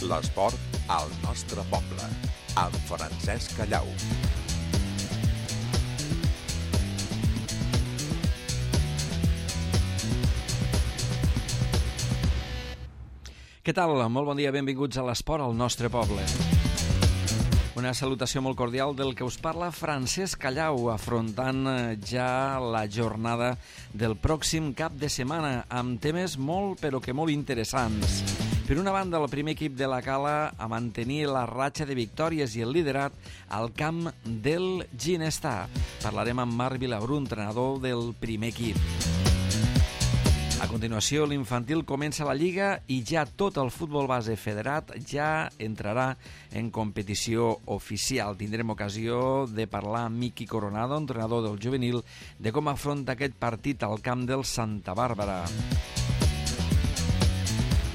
L'esport al nostre poble, amb Francesc Callau. Què tal? Molt bon dia, benvinguts a l'esport al nostre poble. Una salutació molt cordial del que us parla Francesc Callau, afrontant ja la jornada del pròxim cap de setmana, amb temes molt però que molt interessants. Per una banda, el primer equip de la Cala a mantenir la ratxa de victòries i el liderat al camp del Ginestar. Parlarem amb Marc Vilabrú, entrenador del primer equip. A continuació, l'infantil comença la Lliga i ja tot el futbol base federat ja entrarà en competició oficial. Tindrem ocasió de parlar amb Miqui Coronado, entrenador del juvenil, de com afronta aquest partit al camp del Santa Bàrbara.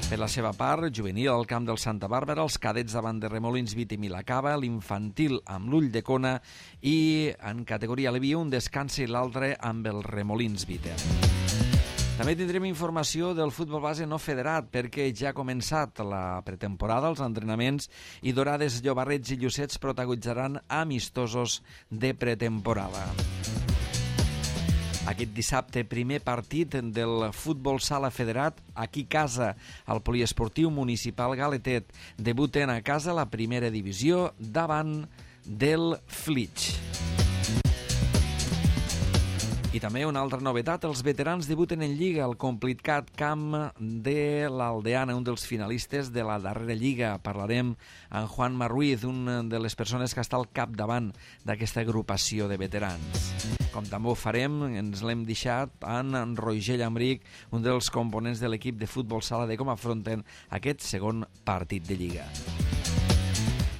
Per la seva part, juvenil al camp del Santa Bàrbara, els cadets davant de Remolins Vite i Milacaba, l'infantil amb l'Ull de Cona i en categoria Levi un descansa i l'altre amb el Remolins Vite. També tindrem informació del futbol base no federat perquè ja ha començat la pretemporada, els entrenaments, i Dorades, Llobarrets i Llucets protagonitzaran amistosos de pretemporada. Aquest dissabte, primer partit del futbol sala federat, aquí a casa, al poliesportiu municipal Galetet. Debuten a casa la primera divisió davant del Flix. I també una altra novetat, els veterans debuten en Lliga al Complicat Camp de l'Aldeana, un dels finalistes de la darrera Lliga. Parlarem amb Juan Marruiz, una de les persones que està al capdavant d'aquesta agrupació de veterans. Com també ho farem, ens l'hem deixat en Roger Llambric, un dels components de l'equip de futbol sala, de com afronten aquest segon partit de Lliga.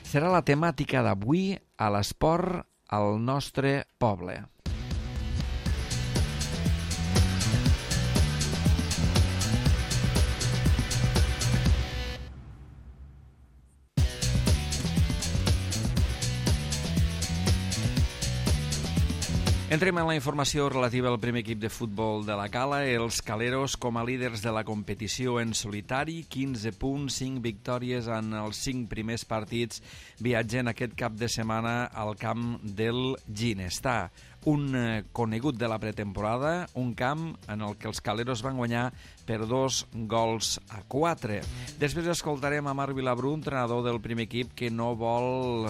Serà la temàtica d'avui a l'esport al nostre poble. Entrem en la informació relativa al primer equip de futbol de la Cala. Els caleros, com a líders de la competició en solitari, 15 punts, 5 victòries en els 5 primers partits, viatgen aquest cap de setmana al camp del Ginestar. Un conegut de la pretemporada, un camp en el que els caleros van guanyar per 2-4. Després escoltarem a Marc Vilabrú, entrenador del primer equip, que no vol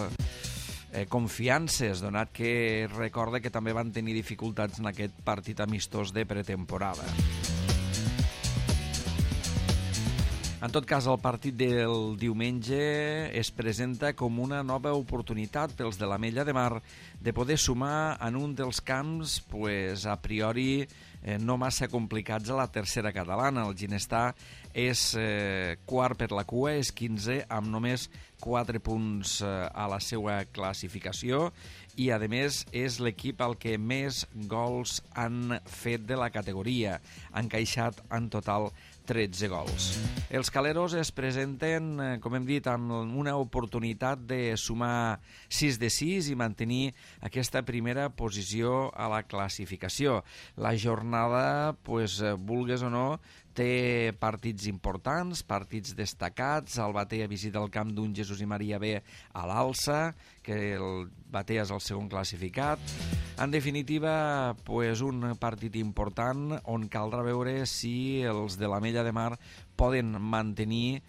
confiances, donat que recorda que també van tenir dificultats en aquest partit amistós de pretemporada. En tot cas, el partit del diumenge es presenta com una nova oportunitat pels de l'Ametlla de Mar de poder sumar en un dels camps a priori no massa complicats a la tercera catalana. El Ginestar és quart per la cua, és 15 amb només 4 punts a la seva classificació i, a més, és l'equip al que més gols han fet de la categoria. Han encaixat en total 13 gols. Els caleros es presenten, com hem dit, amb una oportunitat de sumar 6 de 6 i mantenir aquesta primera posició a la classificació. La jornada, vulgues o no, té partits importants, partits destacats. El Batea visita el camp d'un Jesús i Maria B a l'Alça, que el Batea és el segon classificat. En definitiva, un partit important on caldrà veure si els de l'Ametlla de Mar poden mantenir,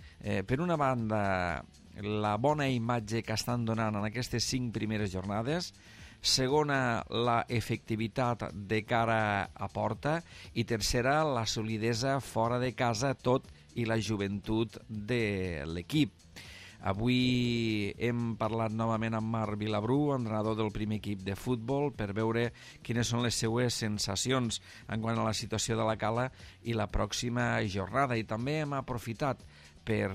per una banda, la bona imatge que estan donant en aquestes 5 primeres jornades, segona, la efectivitat de cara a porta, i tercera, la solidesa fora de casa, tot i la joventut de l'equip. Avui hem parlat novament amb Marc Vilabrú, entrenador del primer equip de futbol, per veure quines són les seues sensacions en quant a la situació de la Cala i la pròxima jornada. I també hem aprofitat per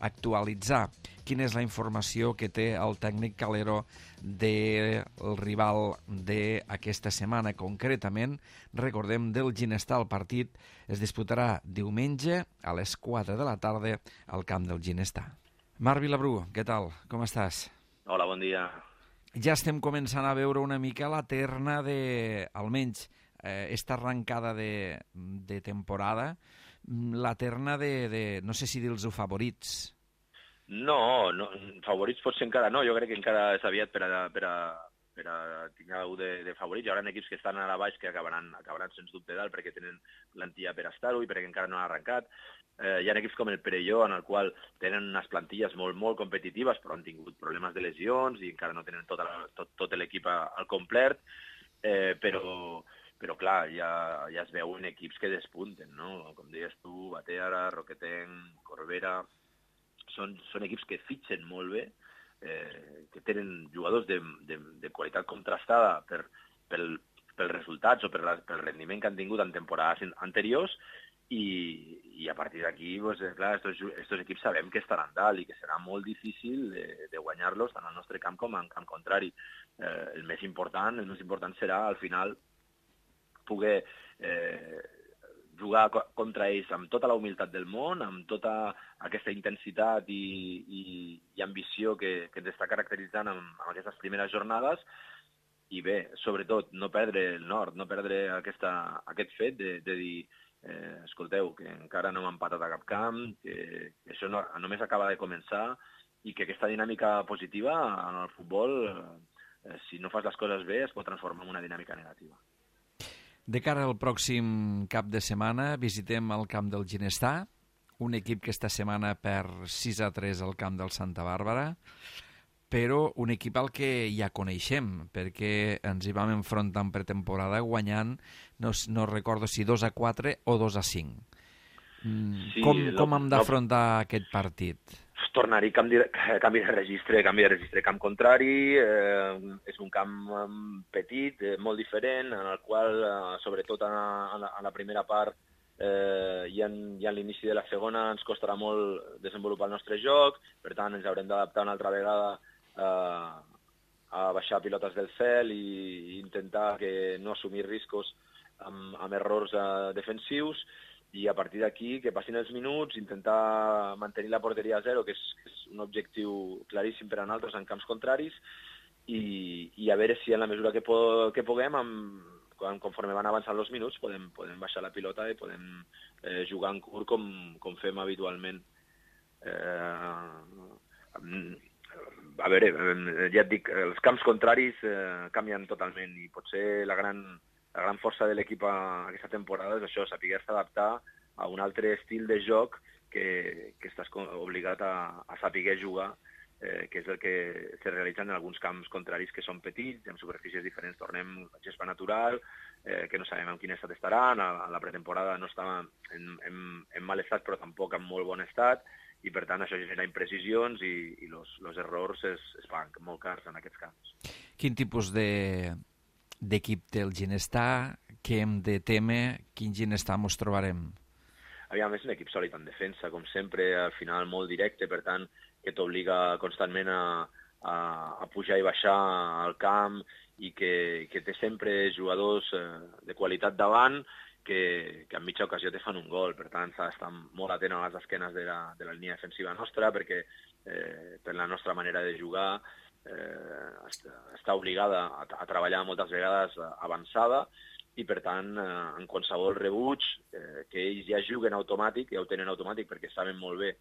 actualitzar quina és la informació que té el tècnic calero del rival d'aquesta setmana. Concretament, recordem, del Ginestar. El partit es disputarà diumenge a les 4 de la tarda al camp del Ginestar. Marc Vilabrú, què tal? Com estàs? Hola, bon dia. Ja estem començant a veure una mica la terna de, almenys, esta arrencada de temporada, la terna de no sé si dir-los favorits. No, favorits potser encara no, jo crec que encara és aviat per a tenir algú de favorits. Hi haurà equips que estan a la baix que acabaran sens dubte dalt perquè tenen plantilla per estar-ho i perquè encara no han arrencat. Hi ha equips com el Perelló, en el qual tenen unes plantilles molt, molt competitives, però han tingut problemes de lesions i encara no tenen tot l'equip al complet, però clar, ja es veuen equips que despunten, no? Com deies tu, Bateara, Roquetenc, Corbera... Són equips que fitxen molt bé, que tenen jugadors de qualitat contrastada pels resultats o pel rendiment que han tingut en temporades anteriors i a partir d'aquí, clar, estos equips sabem que estaran dalt i que serà molt difícil de guanyar-los tant al nostre camp com en camp contrari. El més important serà al final poder jugar contra ells amb tota la humilitat del món, amb tota aquesta intensitat i ambició que ens està caracteritzant amb aquestes primeres jornades i bé, sobretot, no perdre el nord, no perdre aquest fet de dir escolteu, que encara no hem empatat a cap camp, que això només acaba de començar i que aquesta dinàmica positiva en el futbol, si no fas les coses bé, es pot transformar en una dinàmica negativa. De cara al pròxim cap de setmana visitem el camp del Ginestar, un equip que esta setmana perd 6-3 al camp del Santa Bàrbara, però un equip al que ja coneixem, perquè ens hi vam enfrontar en pretemporada guanyant, no recordo si 2-4 o 2-5. Sí, com hem d'afrontar aquest partit? Tornar-hi canvi de registre, camp contrari, és un camp petit, molt diferent, en el qual, sobretot en la primera part i en l'inici de la segona, ens costarà molt desenvolupar el nostre joc, per tant ens haurem d'adaptar una altra vegada a baixar pilotes del cel i intentar que no assumir riscos amb errors defensius, i a partir d'aquí, que passin els minuts, intentar mantenir la porteria a zero, que és un objectiu claríssim per a nosaltres en camps contraris, i a veure si en la mesura que puguem, conforme van avançant els minuts, podem baixar la pilota i podem jugar en curt com fem habitualment. A veure, ja et dic, els camps contraris canvien totalment i potser la gran força de l'equip aquesta temporada és això, saber-se adaptar a un altre estil de joc que estàs obligat a saber jugar, que és el que se realitza en alguns camps contraris que són petits, amb superfícies diferents. Tornem a gespa natural, que no sabem en quin estat estaran, a la pretemporada no estava en mal estat però tampoc en molt bon estat, i per tant això genera imprecisions i els errors es paguen molt cars en aquests camps. Quin tipus d'equip té el Ginestar, què hem de temer, quin Ginestar ens trobarem? Aviam, és un equip sòlid en defensa, com sempre, al final molt directe, per tant, que t'obliga constantment a pujar i baixar al camp i que té sempre jugadors de qualitat davant que en mitja ocasió te fan un gol. Per tant, s'ha d'estar molt atent a les esquenes de la línia defensiva nostra perquè per la nostra manera de jugar està obligada a treballar moltes vegades avançada i, per tant, en qualsevol rebuig que ells ja juguen automàtic, ja ho tenen automàtic perquè saben molt bé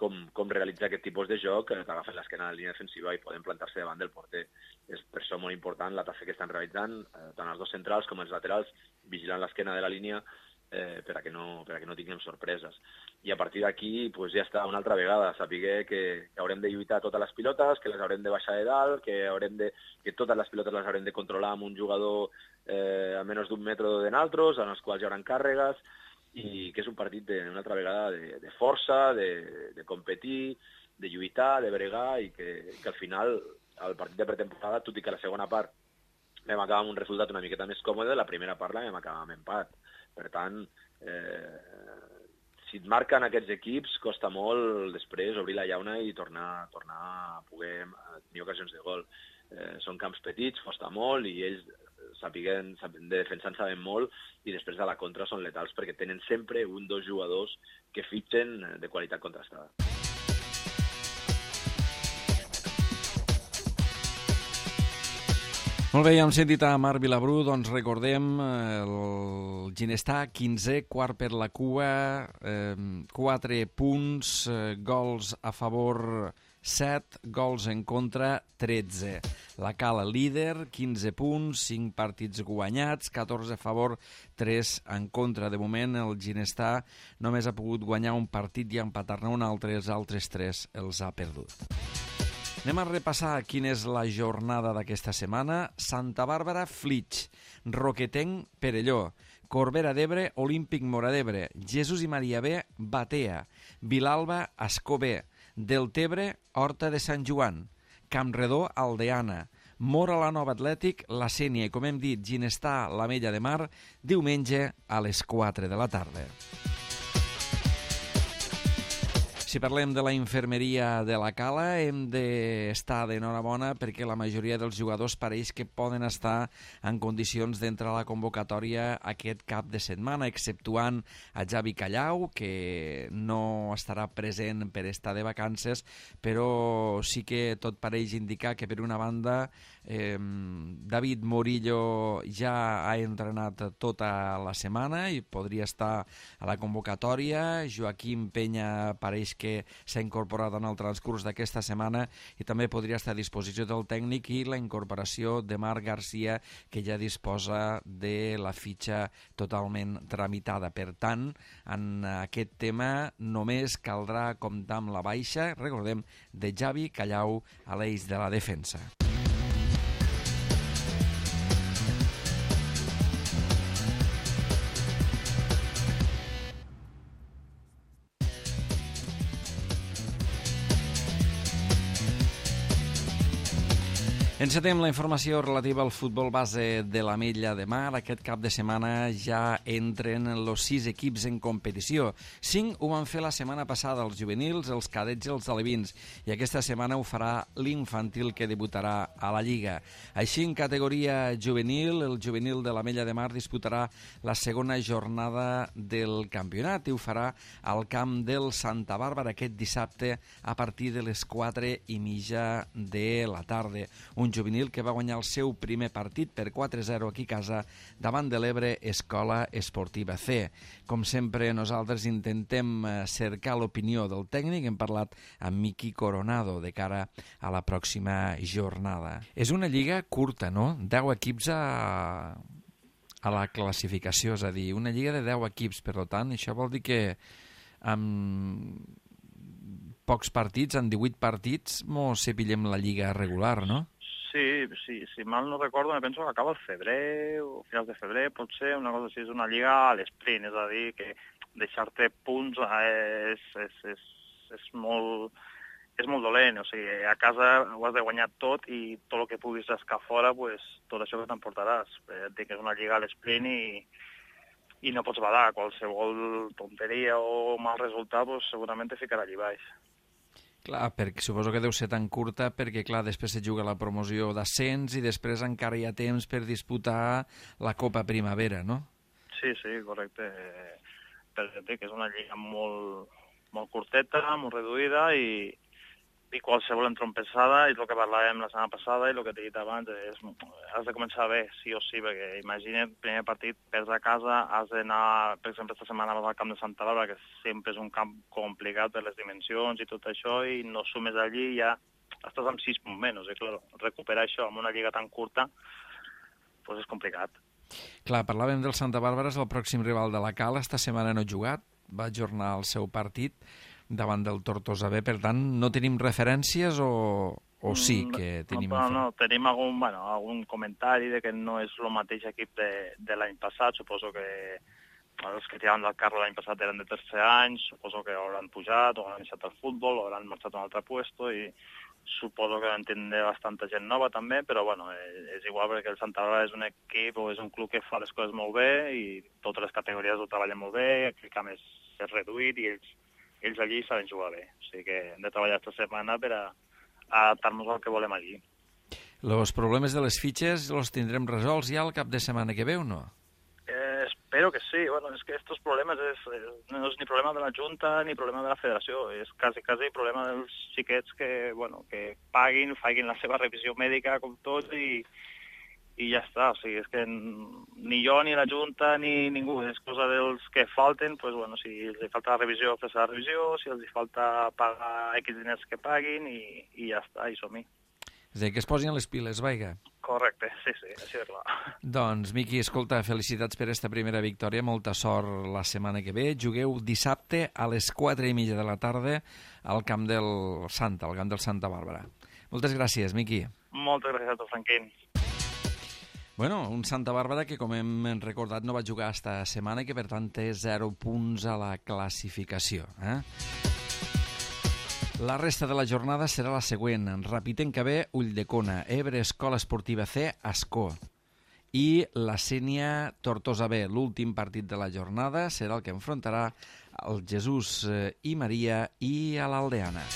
com realitzar aquest tipus de joc, t'agafen l'esquena de la línia defensiva i poden plantar-se davant del porter. És per això molt important la tasca que estan realitzant, tant els dos centrals com els laterals, vigilant l'esquena de la línia per a que no tinguem sorpreses. I a partir d'aquí ja està una altra vegada, saber que haurem de lluitar totes les pilotes, que les haurem de baixar de dalt, que totes les pilotes les haurem de controlar amb un jugador a menys d'un metre de nosaltres, en els quals hi haurà càrregues, i que és un partit una altra vegada de força, de competir, de lluitar, de bregar, i que al final el partit de pretemporada, tot i que la segona part vam acabar amb un resultat una miqueta més còmode, la primera part la vam acabar amb empat. Per tant, si et marquen aquests equips, costa molt després obrir la llauna i tornar a poder tenir ocasions de gol. Són camps petits, costa molt, i ells de defensa en saben molt, i després de la contra són letals perquè tenen sempre un o dos jugadors que fitxen de qualitat contrastada. Molt bé, ja hem sentit a Marc Vilabrú, doncs recordem el Ginestar 15è, quart per la cua, 4 punts, gols a favor 7, gols en contra 13. La Cala líder, 15 punts, 5 partits guanyats, 14 a favor, 3 en contra. De moment el Ginestar només ha pogut guanyar un partit i empatar-ne un altre, els altres 3 els ha perdut. Anem a repassar quina és la jornada d'aquesta setmana. Santa Bàrbara, Flix, Roquetenc, Perelló, Corbera d'Ebre, Olímpic Móra d'Ebre, Jesús i Maria B, Batea, Vilalba, Ascó B, Deltebre, Horta de Sant Joan, Campredó, Aldeana, Mora la Nova Atlètic, La Sénia i, com hem dit, Ginestar, l'Ametlla de Mar, diumenge a les 4 de la tarda. Si parlem de la infermeria de la Cala, hem d'estar d'enhorabona perquè la majoria dels jugadors pareix que poden estar en condicions d'entrar a la convocatòria aquest cap de setmana, exceptuant a Javi Callau, que no estarà present per estar de vacances, però sí que tot pareix indicar que, per una banda, David Morillo ja ha entrenat tota la setmana i podria estar a la convocatòria. Joaquim Penya pareix que s'ha incorporat en el transcurs d'aquesta setmana i també podria estar a disposició del tècnic, i la incorporació de Marc Garcia, que ja disposa de la fitxa totalment tramitada. Per tant, en aquest tema només caldrà comptar amb la baixa, recordem, de Javi Callau a l'eix de la defensa. Encetem la informació relativa al futbol base de l'Ametlla de Mar. Aquest cap de setmana ja entren els 6 equips en competició. 5 ho van fer la setmana passada, els juvenils, els cadets i els alevins, i aquesta setmana ho farà l'infantil, que debutarà a la Lliga. Així, en categoria juvenil, el juvenil de l'Ametlla de Mar disputarà la segona jornada del campionat i ho farà al camp del Santa Bàrbara aquest dissabte a partir de les 4:30 de la tarda. Un juvenil que va guanyar el seu primer partit per 4-0 aquí a casa davant de l'Ebre Escola Esportiva C. Com sempre, nosaltres intentem cercar l'opinió del tècnic. Hem parlat amb Miqui Coronado de cara a la pròxima jornada. És una lliga curta, no? 10 equips a la classificació, és a dir, una lliga de 10 equips. Per tant, això vol dir que amb pocs partits, en 18 partits, mos cepillem la lliga regular, no? Sí, si mal no recordo, me penso que acaba el febrer o finals de febrer, potser, una cosa així, és una lliga a l'esprint, és a dir, que deixar-te punts és molt dolent, o sigui, a casa ho has de guanyar tot i tot el que puguis rascar fora, pues, tot això que t'emportaràs. Et dic que és una lliga a l'esprint i no pots badar. Qualsevol tonteria o mal resultat, pues, segurament te ficarà allà baix. Clar, perquè suposo que deu ser tan curta perquè, clar, després se juga la promoció d'ascens i després encara hi ha temps per disputar la Copa Primavera, no? Sí, correcte. Perquè és una lliga molt curteta, molt reduïda i qualsevol entrompessada, és el que parlàvem la setmana passada i el que t'he dit abans, has de començar bé, sí o sí, perquè imagina't, primer partit, perds a casa, has d'anar, per exemple, esta setmana vas al camp de Santa Bàrbara, que sempre és un camp complicat per les dimensions i tot això, i no sumes allí i ja estàs amb 6 punts menys, i clar, recuperar això amb una lliga tan curta, doncs és complicat. Clar, parlàvem del Santa Bàrbara, és el pròxim rival de la Cala, esta setmana no ha jugat, va ajornar el seu partit davant del Tortosa B, per tant, no tenim referències o sí que tenim... No, tenim algun comentari de que no és el mateix equip de l'any passat. Suposo que els que tiraven del carro l'any passat eren de tercer any, suposo que hauran pujat o hauran deixat el futbol o hauran marxat a un altre puesto i suposo que entendre bastanta gent nova també, però bueno, és igual perquè el Santa Bàrbara és un equip o és un club que fa les coses molt bé i totes les categories ho treballen molt bé, el camp és reduït i ells allí saben jugar bé. O sigui que hem de treballar aquesta setmana per a adaptar-nos al que volem allí. Els problemes de les fitxes els tindrem resolts ja el cap de setmana que ve o no? Espero que sí. Bueno, és que estos problemes no és ni problema de la Junta ni problema de la Federació. És quasi problema dels xiquets que paguin, facin la seva revisió mèdica com tots i i ja està. O sigui, és que ni jo, ni la Junta, ni ningú, és cosa dels que falten, pues, bueno, si els falta la revisió, fer la revisió, si els falta pagar X diners que paguin i ja està, i som-hi. És a dir, que es posin les piles, vaiga. Correcte, sí, així de clar. Doncs, Miqui, escolta, felicitats per aquesta primera victòria, molta sort la setmana que ve. Jugueu dissabte a les 4:30 de la tarda al camp del Santa, al camp del Santa Bàrbara. Moltes gràcies, Miqui. Moltes gràcies a tu, Franquín. Bueno, un Santa Bàrbara que, com hem recordat, no va jugar esta setmana i que, per tant, té 0 punts a la classificació. La resta de la jornada serà la següent. Rapitenca B, Ulldecona, Ebre Escola Esportiva C, Ascó. I la Sénia Tortosa B, l'últim partit de la jornada, serà el que enfrontarà el Jesús i Maria i a l'Aldeana.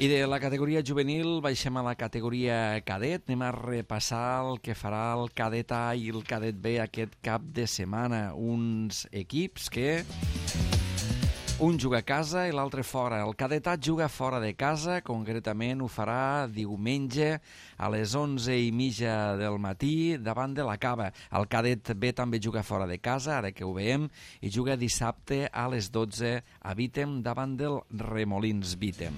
I de la categoria juvenil baixem a la categoria cadet. Anem a repassar el que farà el cadet A i el cadet B aquest cap de setmana. Uns equips que un juga a casa i l'altre fora. El cadet A juga fora de casa, concretament ho farà diumenge a les 11:30 del matí davant de la Cava. El cadet B també juga fora de casa, ara que ho veiem, i juga dissabte a les 12 a Vítem davant del Remolins Vítem.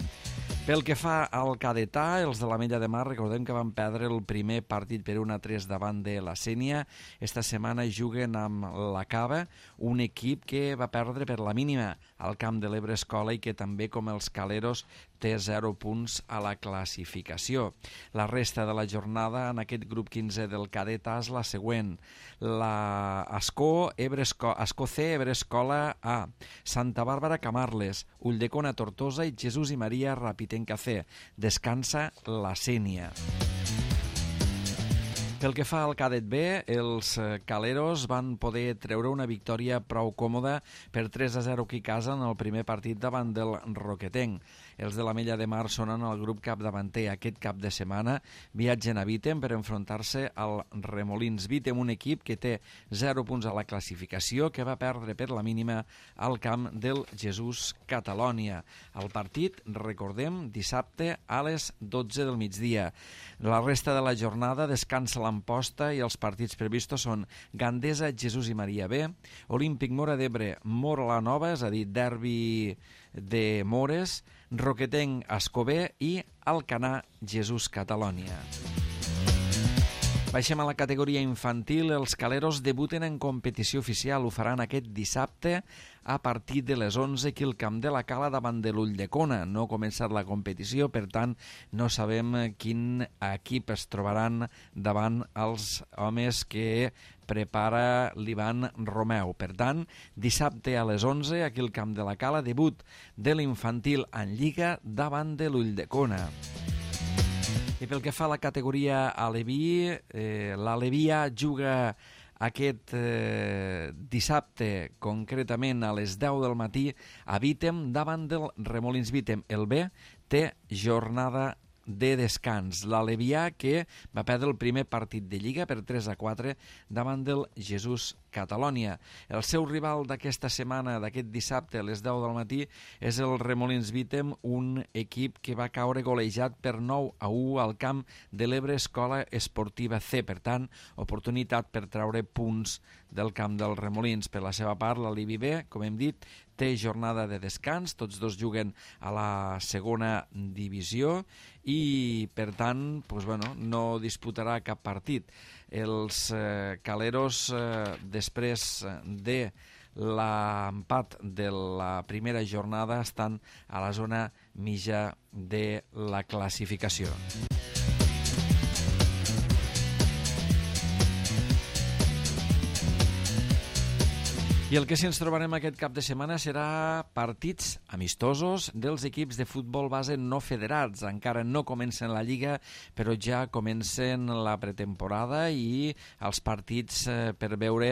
Pel que fa al cadet A, els de l'Ametlla de Mar, recordem que van perdre el primer partit per 1-3 davant de la Sénia. Esta setmana juguen amb la Cava, un equip que va perdre per la mínima al camp de l'Ebre Escola i que també, com els Caleros, té 0 punts a la classificació. La resta de la jornada en aquest grup 15 del cadet A és la següent. La Ascó C, Ebre Escola A, Santa Bàrbara Camarles, Ulldecona Tortosa i Jesús i Maria Rapitenca C. Descansa la Sénia. Pel que fa al cadet B, els Caleros van poder treure una victòria prou còmoda per 3-0 aquí a casa en el primer partit davant del Roquetenc. Els de l'Ametlla de Mar són en el grup capdavanter. Aquest cap de setmana viatgen a Vítem per enfrontar-se al Remolins Vítem, un equip que té 0 punts a la classificació, que va perdre per la mínima al camp del Jesús Catalònia. El partit, recordem, dissabte a les 12 del migdia. La resta de la jornada descansa l'Amposta i els partits previstos són Gandesa, Jesús i Maria B, Olímpic Móra d'Ebre, Móra la Nova, és a dir, derbi de Mores, Roquetenc, Ascobé i Alcanar, Jesús Catalònia. Baixem a la categoria infantil. Els Caleros debuten en competició oficial. Ho faran aquest dissabte a partir de les 11 aquí al Camp de la Cala davant de l'Ulldecona. No ha començat la competició, per tant, no sabem quin equip es trobaran davant els homes que prepara l'Ivan Romeu. Per tant, dissabte a les 11 aquí al Camp de la Cala, debut de l'infantil en Lliga davant de l'Ulldecona. I pel que fa a la categoria aleví, l'Aleví A juga aquest dissabte, concretament a les 10 del matí, a Vítem davant del Remolins Vítem. El B té jornada de descans. L'Alevià, que va perdre el primer partit de Lliga per 3-4 davant del Jesús Catalònia. El seu rival d'aquesta setmana, d'aquest dissabte a les 10 del matí, és el Remolins Vítem, un equip que va caure golejat per 9-1 al camp de l'Ebre Escola Esportiva C. Per tant, oportunitat per treure punts del camp dels Remolins. Per la seva part, l'Alivi B, com hem dit, té jornada de descans, tots dos juguen a la segona divisió i, per tant, no disputarà cap partit. Els Caleros, després de l'empat de la primera jornada, estan a la zona mitja de la classificació. I el que sí ens trobarem aquest cap de setmana serà partits amistosos dels equips de futbol base no federats. Encara no comencen la Lliga, però ja comencen la pretemporada i els partits per veure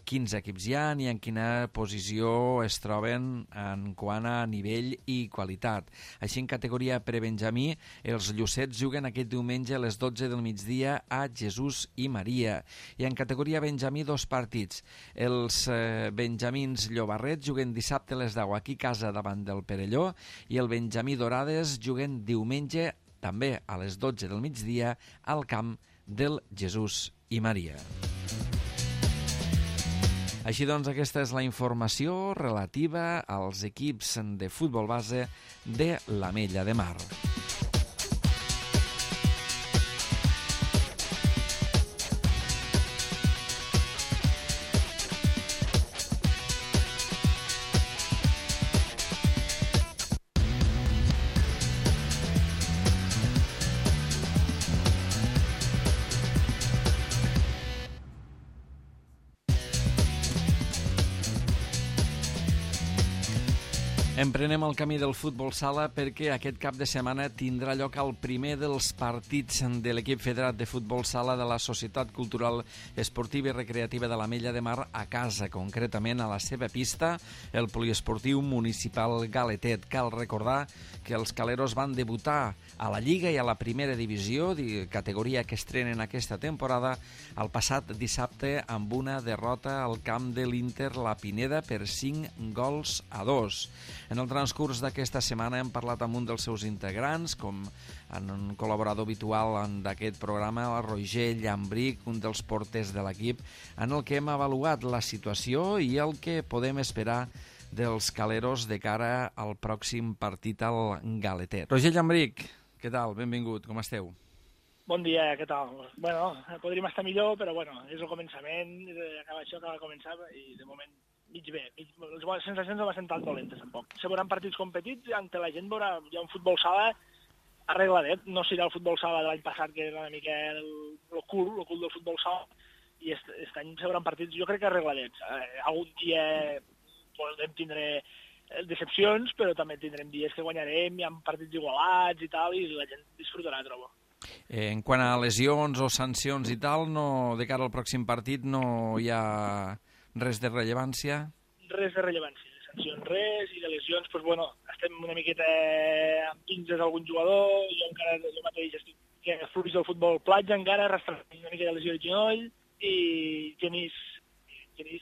quins equips hi ha i en quina posició es troben en quant a nivell i qualitat. Així, en categoria prebenjamí, els Llucets juguen aquest diumenge a les 12 del migdia a Jesús i Maria. I en categoria benjamí, dos partits. Els benjamins Llobarret juguen dissabte a les 10 aquí a casa davant del Perelló i el benjamí Dorades juguen diumenge també a les 12 del migdia al camp del Jesús i Maria. Així doncs, aquesta és la informació relativa als equips de futbol base de l'Ametlla de Mar. Emprenem el camí del futbol sala perquè aquest cap de setmana tindrà lloc el primer dels partits de l'equip federat de futbol sala de la Societat Cultural Esportiva i Recreativa de l'Ametlla de Mar a casa, concretament a la seva pista, el poliesportiu municipal Galetet. Cal recordar que els caleros van debutar a la Lliga i a la primera divisió, categoria que estrenen aquesta temporada, el passat dissabte amb una derrota al camp de l'Inter La Pineda per 5-2. En el transcurs d'aquesta setmana hem parlat amb un dels seus integrants, com en un col·laborador habitual d'aquest programa, el Roger Llambric, un dels porters de l'equip, en el que hem avaluat la situació i el que podem esperar dels caleros de cara al pròxim partit al Galetet. Roger Llambric, què tal? Benvingut, com esteu? Bon dia, què tal? Bueno, podríem estar millor, però bueno, és el començament, això acaba de començar i de moment mig bé. Les bones sensacions no van ser tan dolentes, tampoc. Se veuran partits competits, ante la gent veurà hi ha un futbol sala arregladet. No serà el futbol sala de l'any passat, que era una mica el cul del futbol sala, i aquest any se veuran partits, jo crec que arregladets. Algun dia podem tindre decepcions, però també tindrem dies que guanyarem, hi ha partits igualats i tal, i la gent disfrutarà, trobo. En quant a lesions o sancions i tal, de cara al pròxim partit no hi ha res de rellevància? Res de rellevància, de sancions res, i de lesions, doncs bueno, estem una miqueta amb pinces d'algun jugador, jo mateix estic fluix del futbol platja encara, arrastrant una mica de lesió de genoll, i Genís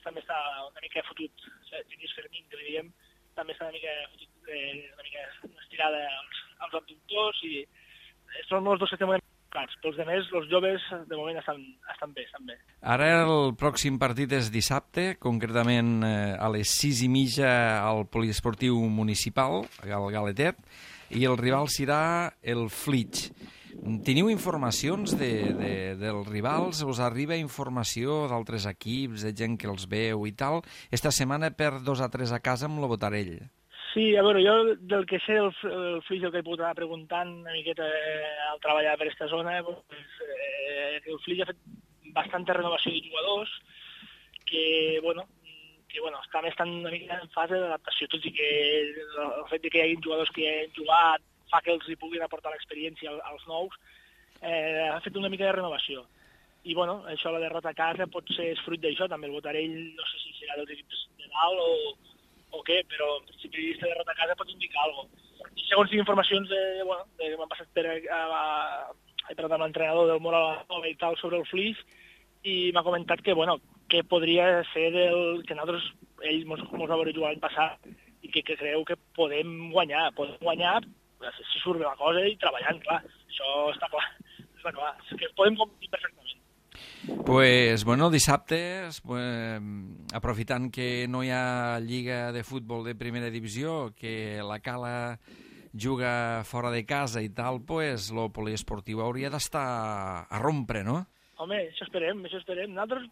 també està una mica fotut, Genís Fermín, que li diem, també està una mica fotut, una mica estirada als abductors, i són els dos que estem plats. Pels altres, els joves, de moment estan bé. Ara el pròxim partit és dissabte, concretament a les 6:30 al poliesportiu municipal, al Galetet, i el rival serà el Flix. Teniu informacions dels rivals? Us arriba informació d'altres equips, de gent que els veu i tal? Esta setmana per 2 a 3 a casa amb el Botarell. Sí, a veure, jo del que sé del Flix, el que he pogut anar preguntant una miqueta al treballar per aquesta zona, el Flix ha fet bastanta renovació de jugadors que també estan una mica en fase d'adaptació, tot i que el fet que hi hagi jugadors que han jugat fa que els hi puguin aportar l'experiència als nous, ha fet una mica de renovació. I això, la derrota a casa, potser és fruit d'això, també el Botarell, no sé si serà dels equips de dalt o què, però en principi aquesta derrota a casa pot indicar alguna cosa. I segons tinc informacions que m'han passat he parlat amb l'entrenador del Moral i tal sobre el Flix, i m'ha comentat que podria ser que nosaltres, ell mos va veure jugar l'any passat, i que creu que podem guanyar si surt bé la cosa i treballant, clar, això està clar, és que podem competir perfectament. Pues, dissabte, aprofitant que no hi ha lliga de futbol de primera divisió, que la Cala juga fora de casa i tal, el poliesportiu hauria d'estar a rompre, no? Home, això esperem. Nosaltres,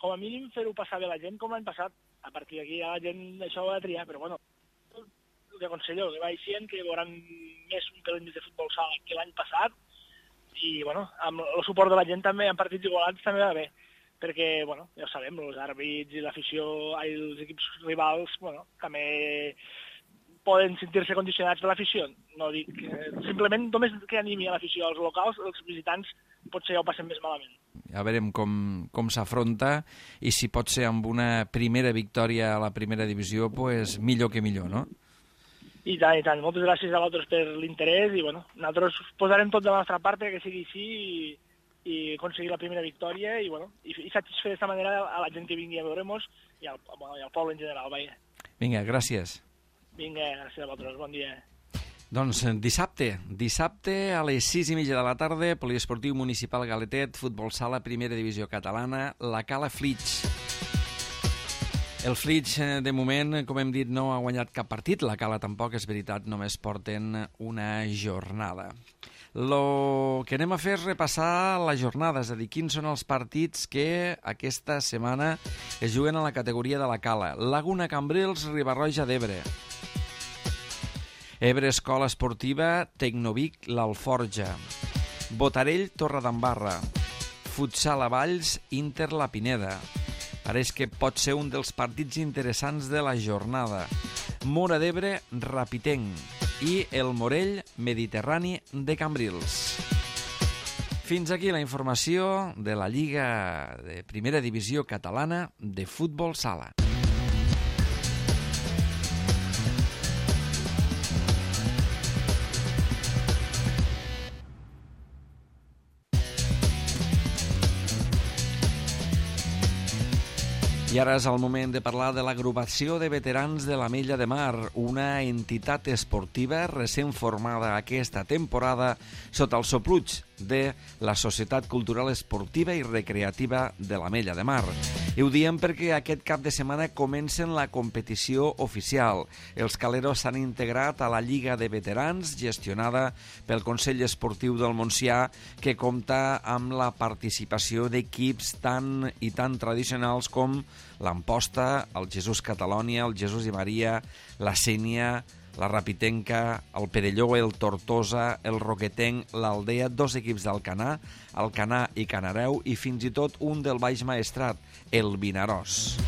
com a mínim, fer-ho passar bé la gent com l'any passat. A partir d'aquí la gent això ho ha de triar, però el que aconsello, que vagin, que veuran més un pelín de futbol sala que l'any passat, i amb el suport de la gent també en partits igualats també va bé, perquè ja ho sabem, els àrbits i l'afició, els equips rivals també poden sentir-se condicionats per l'afició. No dic, simplement només que animi a l'afició als locals, els visitants potser ja ho passen més malament. Ja veurem com s'afronta, i si pot ser amb una primera victòria a la primera divisió, millor que millor, no? I tant. Moltes gràcies a vosaltres per l'interès i nosaltres posarem tot de la nostra part que sigui així i aconseguir la primera victòria i, bueno, i satisfer d'esta manera a la gent que vingui a veure-nos i al poble en general. Vaja. Vinga, gràcies. Vinga, gràcies a vosaltres, bon dia. Doncs dissabte a les 6:30 de la tarda, Poliesportiu Municipal Galetet, futbol sala, primera divisió catalana, la Cala Flix. El Flix, de moment, com hem dit, no ha guanyat cap partit. La Cala tampoc, és veritat, només porten una jornada. Lo que anem a fer és repassar la jornada, és a dir, quins són els partits que aquesta setmana es juguen a la categoria de la Cala. Laguna Cambrils, Riba-roja d'Ebre. Ebre Escola Esportiva, Tecnovic, l'Alforja. Botarell, Torredembarra. Futsal a Valls, Inter La Pineda. Pareix que pot ser un dels partits interessants de la jornada. Móra d'Ebre, Rapitenc. I el Morell, Mediterrani de Cambrils. Fins aquí la informació de la Lliga de Primera Divisió Catalana de Futbol Sala. I ara és el moment de parlar de l'agrupació de veterans de l'Ametlla de Mar, una entitat esportiva recent formada aquesta temporada sota el sopluig de la Societat Cultural Esportiva i Recreativa de l'Ametlla de Mar. I ho diem perquè aquest cap de setmana comencen la competició oficial. Els caleros s'han integrat a la Lliga de Veterans, gestionada pel Consell Esportiu del Montsià, que compta amb la participació d'equips tan i tan tradicionals com l'Amposta, el Jesús Catalònia, el Jesús i Maria, la Sénia, la Rapitenca, el Perelló, el Tortosa, el Roquetenc, l'Aldea, dos equips d'Alcanar, Alcanar i Canareu i fins i tot un del Baix Maestrat, el Vinaròs.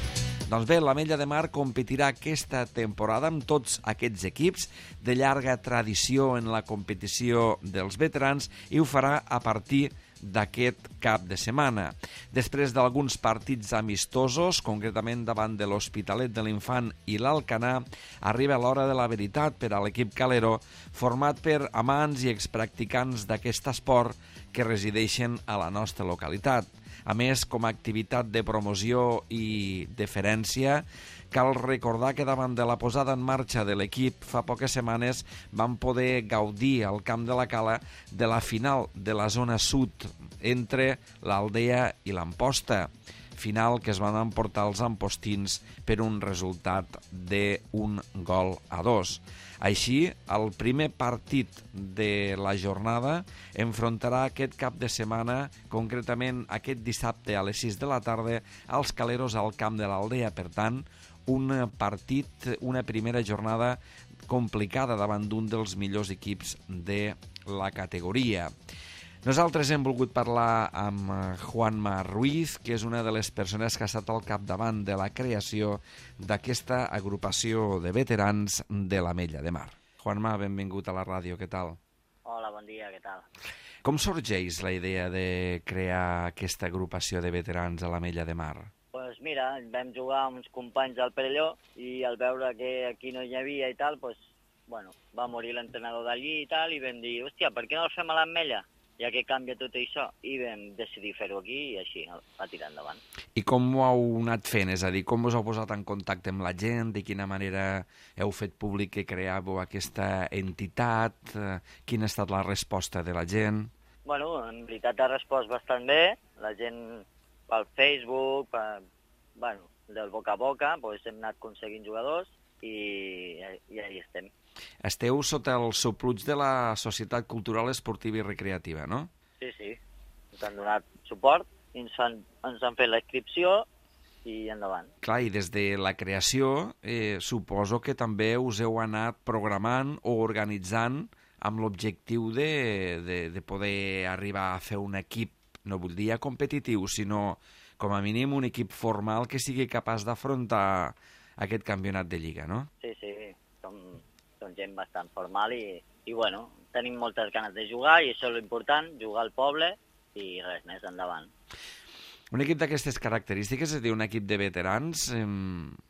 Doncs bé, l'Ametlla de Mar competirà aquesta temporada amb tots aquests equips de llarga tradició en la competició dels veterans i ho farà a partir d'aquest cap de setmana. Després d'alguns partits amistosos, concretament davant de l'Hospitalet de l'Infant i l'Alcanar, arriba l'hora de la veritat per a l'equip calero, format per amants i expracticants d'aquest esport que resideixen a la nostra localitat. A més, com a activitat de promoció i deferència, cal recordar que davant de la posada en marxa de l'equip fa poques setmanes vam poder gaudir al Camp de la Cala de la final de la zona sud entre l'Aldea i l'Amposta, final que es van emportar els ampostins per un resultat d'1 gol a 2. Així, el primer partit de la jornada enfrontarà aquest cap de setmana, concretament aquest dissabte a les 6 de la tarda, als caleros al Camp de l'Aldea. Per tant, un partit, una primera jornada complicada davant d'un dels millors equips de la categoria. Nosaltres hem volgut parlar amb Juanma Ruiz, que és una de les persones que ha estat al capdavant de la creació d'aquesta agrupació de veterans de l'Ametlla de Mar. Juanma, benvingut a la ràdio, què tal? Hola, bon dia, què tal? Com sorgeix la idea de crear aquesta agrupació de veterans a l'Ametlla de Mar? Pues mira, vam jugar amb uns companys del Perelló i al veure que aquí no hi havia i tal, pues, bueno, va morir l'entrenador d'allí i tal, i vam dir, hòstia, per què no el fem a l'Ametlla? Ja que canvia tot això, i vam decidir fer-ho aquí i així va tirar endavant. I com ho heu anat fent? És a dir, com us heu posat en contacte amb la gent? De quina manera heu fet públic que creàveu aquesta entitat? Quina ha estat la resposta de la gent? Bueno, en veritat ha respost bastant bé. La gent pel Facebook, del boca a boca, doncs hem anat aconseguint jugadors i ahí estem. Esteu sota el sopluig de la Societat Cultural Esportiva i Recreativa, no? Sí, sí. Ens han donat suport, ens han fet la inscripció i endavant. Clar, i des de la creació suposo que també us heu anat programant o organitzant amb l'objectiu de poder arribar a fer un equip, no vull dir competitiu, sinó com a mínim un equip formal que sigui capaç d'afrontar aquest campionat de Lliga, no? Sí, sí, som gent bastant formal i bueno, tenim moltes ganes de jugar i això és l'important, jugar al poble i res més, endavant. Un equip d'aquestes característiques, és a dir, un equip de veterans,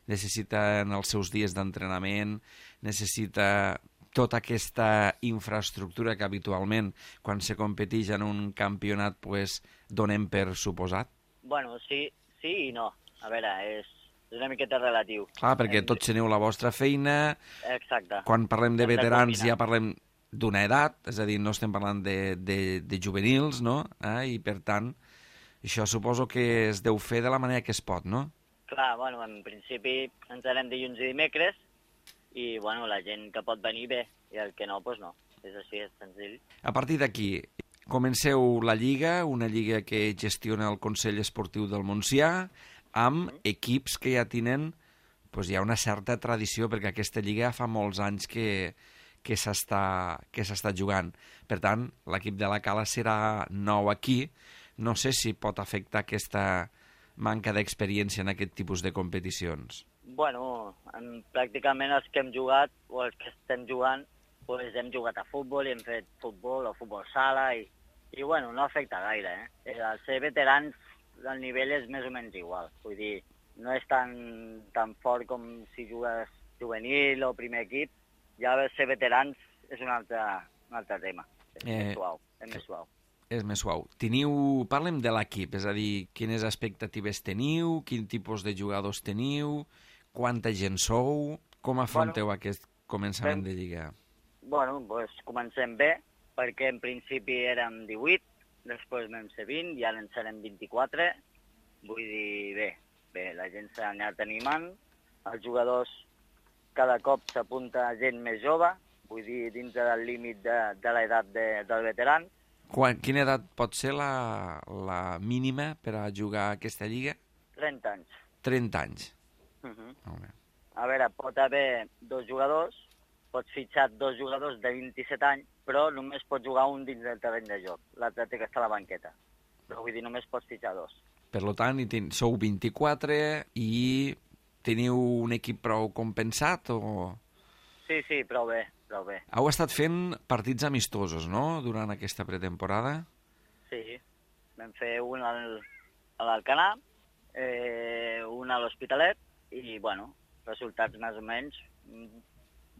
necessita en els seus dies d'entrenament, necessita tota aquesta infraestructura que habitualment, quan se competeix en un campionat, pues, donem per suposat? Bueno, sí i no. A veure, és una miqueta relatiu. Clar, perquè tots teniu la vostra feina. Exacte. Quan parlem de Hem de veterans combinar. ja parlem d'una edat, és a dir, no estem parlant de juvenils, no? I per tant, això suposo que es deu fer de la manera que es pot, no? Clar, bueno, en principi ens anem dilluns i dimecres i, bueno, la gent que pot venir bé i el que no, doncs no. És així, és senzill. A partir d'aquí, comenceu la Lliga, una lliga que gestiona el Consell Esportiu del Montsià, amb equips que ja tenen doncs, ja una certa tradició, perquè aquesta lliga fa molts anys que s'està jugant. Per tant, l'equip de la Cala serà nou aquí. No sé si pot afectar aquesta manca d'experiència en aquest tipus de competicions. Bueno, pràcticament els que hem jugat o els que estem jugant, doncs hem jugat a futbol i hem fet futbol o futbol sala i bueno, no afecta gaire, eh? Al ser veterans el nivell és més o menys igual, vull dir, no és tan fort com si jugues juvenil o primer equip, ja ser veterans és un altre tema, és més suau. És més suau. Parlem de l'equip, és a dir, quines expectatives teniu, quin tipus de jugadors teniu, quanta gent sou, com afronteu aquest començament de Lliga? Bueno, doncs comencem bé, perquè en principi érem 18, després vam ser 20 i ara en serem 24. Vull dir, bé, la gent s'ha anat animant, els jugadors cada cop s'apunta gent més jove, vull dir, dintre del límit de l'edat del veteran. Quina edat pot ser la mínima per a jugar a aquesta lliga? 30 anys. 30 anys. Molt bé. A veure, pot haver dos jugadors, pots fitxar dos jugadors de 27 anys, però només pots jugar un dins del terreny de joc. L'altre té que estar a la banqueta. Però vull dir, només pots fitxar dos. Per tant, sou 24 i teniu un equip prou compensat o...? Sí, prou bé. Heu estat fent partits amistosos, no?, durant aquesta pretemporada? Sí, vam fer un a l'Alcanar, un a l'Hospitalet i, bueno, resultats més o menys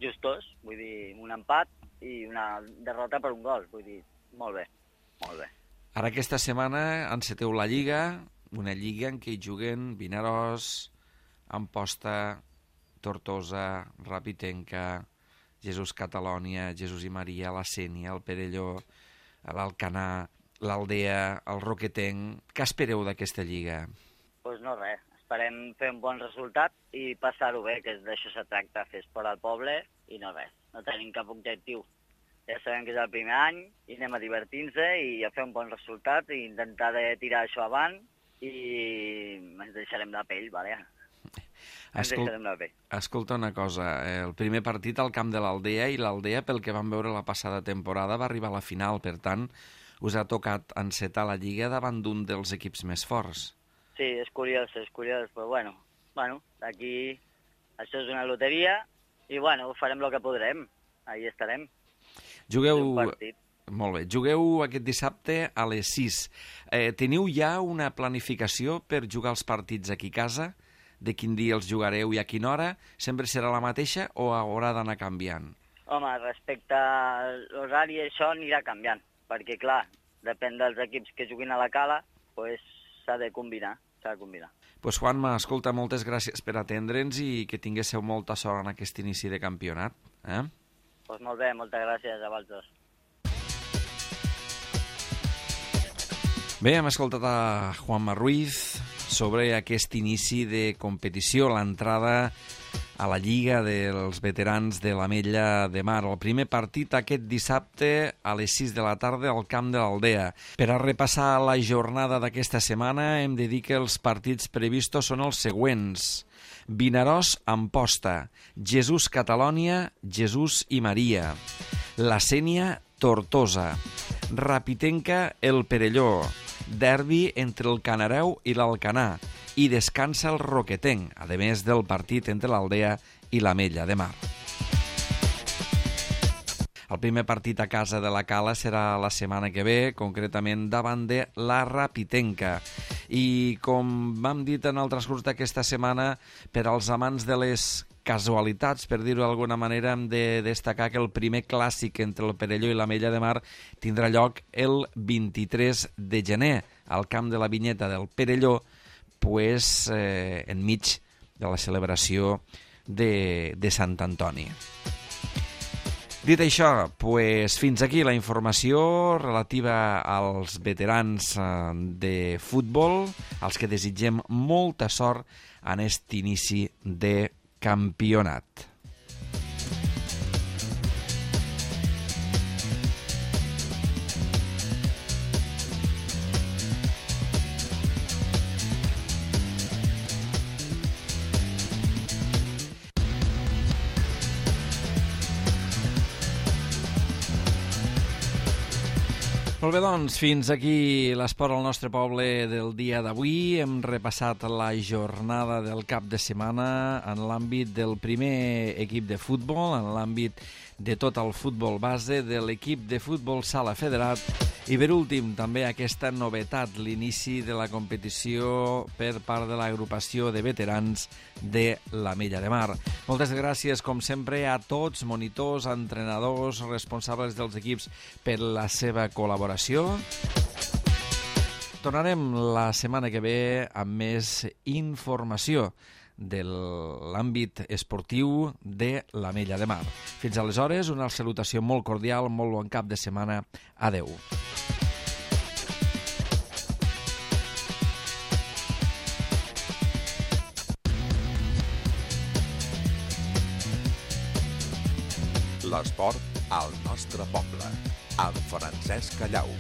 justos, vull dir, un empat i una derrota per un gol, vull dir, molt bé. Ara aquesta setmana enceteu la Lliga, una lliga en què hi juguen Vinaròs, Amposta, Tortosa, Rapitenca, Jesús Catalònia, Jesús i Maria, la Sénia, el Perelló, l'Alcanar, l'Aldea, el Roquetenc. Què espereu d'aquesta lliga? Doncs no res, esperem fer un bon resultat i passar-ho bé, que d'això se tracta, fer esport al poble i no res. No tenim cap objectiu. Ja sabem que és el primer any i anem a divertir-nos i a fer un bon resultat i intentar de tirar això avant i ens deixarem la pell, vale? Escolta una cosa, el primer partit al camp de l'Aldea i l'Aldea, pel que vam veure la passada temporada, va arribar a la final, per tant, us ha tocat encetar la Lliga davant d'un dels equips més forts. Sí, és curiós, però bueno, aquí això és una loteria i bueno, farem el que podrem, ahí estarem. Molt bé, jugueu aquest dissabte a les 6. Teniu ja una planificació per jugar els partits aquí a casa? De quin dia els jugareu i a quina hora? Sempre serà la mateixa o haurà d'anar canviant? Home, respecte a l'horari això anirà canviant, perquè clar, depèn dels equips que juguin a la Cala, doncs s'ha de combinar. Doncs Juanma, escolta, moltes gràcies per atendre'ns i que tinguéssiu molta sort en aquest inici de campionat. Doncs molt bé, moltes gràcies a vosaltres. Bé, hem escoltat a Juanma Ruiz sobre aquest inici de competició, l'entrada a la Lliga dels Veterans de l'Ametlla de Mar. El primer partit aquest dissabte a les 6 de la tarda al camp de l'Aldea. Per a repassar la jornada d'aquesta setmana hem de dir que els partits previstos són els següents. Vinaròs, Amposta, Jesús Catalònia, Jesús i Maria, la Sénia, Tortosa, Rapitenca, el Perelló, derbi entre el Canareu i l'Alcanar i descansa el Roquetenc, a més del partit entre l'Aldea i l'Ametlla de Mar. El primer partit a casa de la Cala serà la setmana que ve, concretament davant de la Rapitenca. I com vam dit en el transcurs d'aquesta setmana, per als amants de les casualitats, per dir-ho d'alguna manera, hem de destacar que el primer clàssic entre el Perelló i l'Ametlla de Mar tindrà lloc el 23 de gener al camp de la Vinyeta del Perelló, pues, enmig de la celebració de Sant Antoni. Dit això, pues, fins aquí la informació relativa als veterans de futbol, als que desitgem molta sort en aquest inici de campionat. Molt bé, doncs, fins aquí l'esport al nostre poble del dia d'avui. Hem repassat la jornada del cap de setmana en l'àmbit del primer equip de futbol, en l'àmbit de tot el futbol base, de l'equip de futbol sala federat i, per últim, també aquesta novetat, l'inici de la competició per part de l'agrupació de veterans de l'Ametlla de Mar. Moltes gràcies, com sempre, a tots, monitors, entrenadors, responsables dels equips, per la seva col·laboració. Tornarem la setmana que ve amb més informació de l'àmbit esportiu de l'Ametlla de Mar. Fins aleshores, una salutació molt cordial, molt bon cap de setmana. Adeu. L'esport al nostre poble, amb Francesc Callau.